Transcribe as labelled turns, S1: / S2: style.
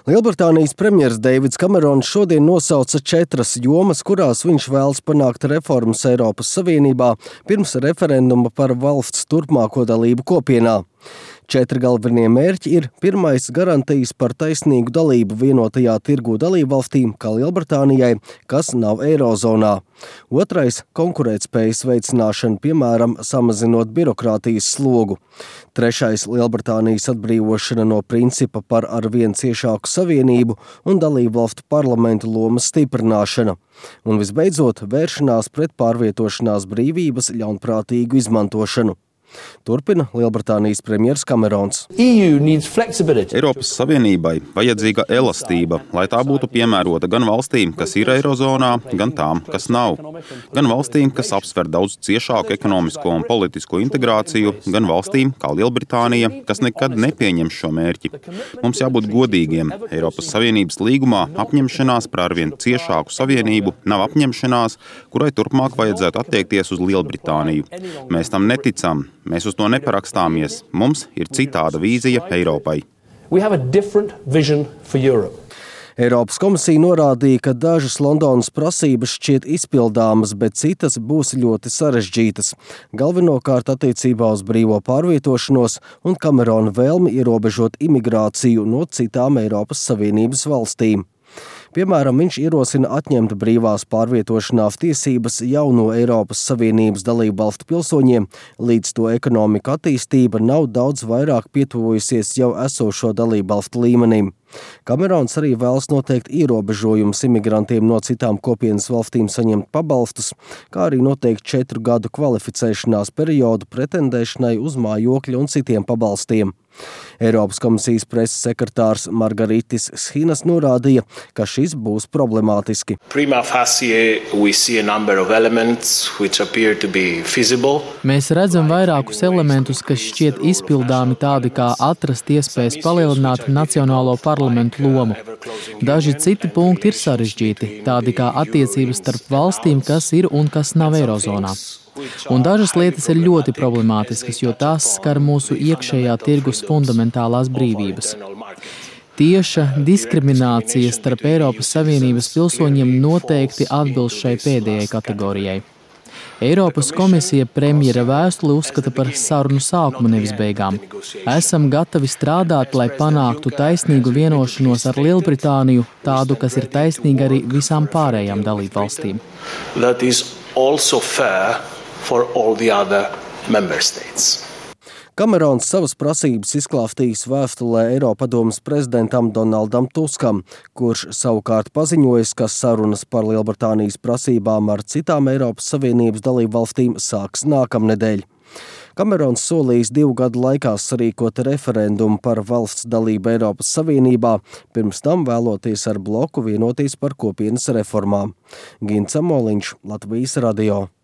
S1: Lielbritānijas premjers Deivids Kamerons šodien nosauca 4 jomas, kurās viņš vēlas panākt reformas Eiropas Savienībā pirms referenduma par valsts turpmāko dalību kopienā. 4 galvenie mērķi ir: pirmais – garantijas par taisnīgu dalību vienotajā tirgū dalībvalstīm, kā Lielbritānijai, kas nav eirozonā. Otrais – konkurētspējas veicināšana, piemēram, samazinot birokrātijas slogu. Trešais – Lielbritānijas atbrīvošana no principa par arvien ciešāku savienību un dalībvalstu parlamentu lomas stiprināšana. Un visbeidzot, vēršanās pret pārvietošanās brīvības ļaunprātīgu izmantošanu. Turpina Lielbritānijas premjers Kamerons.
S2: Eiropas Savienībai vajadzīga elastība, lai tā būtu piemērota gan valstīm, kas ir eirozonā, gan tām, kas nav. Gan valstīm, kas apsver daudz ciešāku ekonomisko un politisko integrāciju, gan valstīm, kā Lielbritānija, kas nekad nepieņem šo mērķi. Mums jābūt godīgiem. Eiropas Savienības līgumā apņemšanās par arvien ciešāku savienību nav apņemšanās, kurai turpmāk vajadzētu attiekties uz Lielbritāniju. Mēs tam neticam. Mēs uz to neparakstāmies. Mums ir citāda vīzija Eiropai.
S1: Eiropas komisija norādīja, ka dažas Londonas prasības šķiet izpildāmas, bet citas būs ļoti sarežģītas. Galvenokārt attiecībā uz brīvo pārvietošanos un Kamerona vēlmi ierobežot imigrāciju no citām Eiropas Savienības valstīm. Piemēram, viņš ierosina atņemt brīvās pārvietošanās tiesības jauno Eiropas Savienības dalībvalstu pilsoņiem, līdz to ekonomika attīstība nav daudz vairāk pietuvojusies jau esošo dalībvalstu līmenim. Kamerons arī vēlas noteikt ierobežojumus imigrantiem no citām kopienas valstīm saņemt pabalstus, kā arī noteikt 4 gadu kvalificēšanās periodu pretendēšanai uz mājokļa un citiem pabalstiem. Eiropas komisijas preses sekretārs Margaritis Schinas norādīja, ka šis būs problemātiski.
S3: Mēs redzam vairākus elementus, kas šķiet izpildāmi, tādi kā atrast iespējas palielināt nacionālo parlamentu lomu. Daži citi punkti ir sarežģīti, tādi kā attiecības starp valstīm, kas ir un kas nav eirozonā. Un dažas lietas ir ļoti problemātiskas, jo tās skar mūsu iekšējā tirgus fundamentālās brīvības. Tieša diskriminācija starp Eiropas Savienības pilsoņiem noteikti atbilst šai pēdējai kategorijai. Eiropas komisija premjera vēstuli uzskata par sarunu sākumu, nevis beigām. Esam gatavi strādāt, lai panāktu taisnīgu vienošanos ar Lielbritāniju, tādu, kas ir taisnīga arī visām pārējām dalībvalstīm.
S1: Kamerons savas prasības izklāstījis vēstulē Eiropadomes prezidentam Donaldam Tuskam, kurš savukārt paziņojis, ka sarunas par Lielbritānijas prasībām ar citām Eiropas Savienības dalībvalstīm sāks nākamnedēļ. Kamerons solījis 2 gadu laikā sarīkot referendumu par valsts dalību Eiropas Savienībā, pirms tam vēloties ar bloku vienoties par kopienas reformām. Gints Amoliņš, Latvijas radio.